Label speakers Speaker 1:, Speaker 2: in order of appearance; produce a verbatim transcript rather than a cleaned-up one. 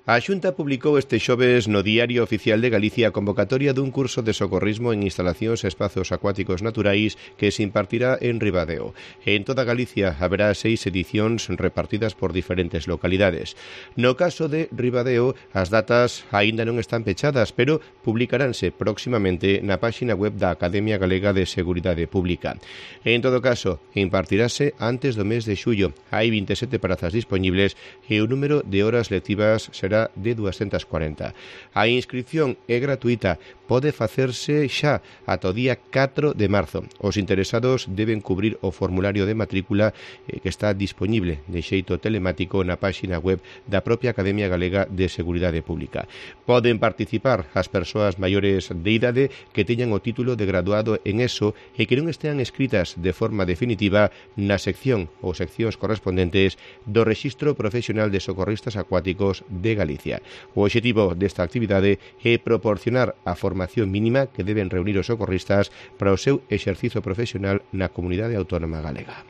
Speaker 1: A Xunta publicou este xoves no Diario Oficial de Galicia a convocatoria dun curso de socorrismo en instalacións e espazos acuáticos naturais que se impartirá en Ribadeo. En toda Galicia haberá seis edicións repartidas por diferentes localidades. No caso de Ribadeo, as datas aínda non están pechadas, pero publicaránse próximamente na páxina web da Academia Galega de Seguridade Pública. En todo caso, impartirase antes do mes de xullo. Hai vinte e sete prazas dispoñibles e o número de horas lectivas será de doscientas cuarenta. A inscripción é gratuita, pode facerse xa ata o día catro de marzo. Os interesados deben cubrir o formulario de matrícula eh, que está dispoñible de xeito telemático na páxina web da propia Academia Galega de Seguridade Pública. Poden participar as persoas maiores de idade que teñan o título de graduado en ESO e que non estean escritas de forma definitiva na sección ou seccións correspondentes do Rexistro Profesional de Socorristas Acuáticos de Galicia. O obxectivo desta actividade é proporcionar a formación mínima que deben reunir os socorristas para o seu exercicio profesional na comunidade autónoma galega.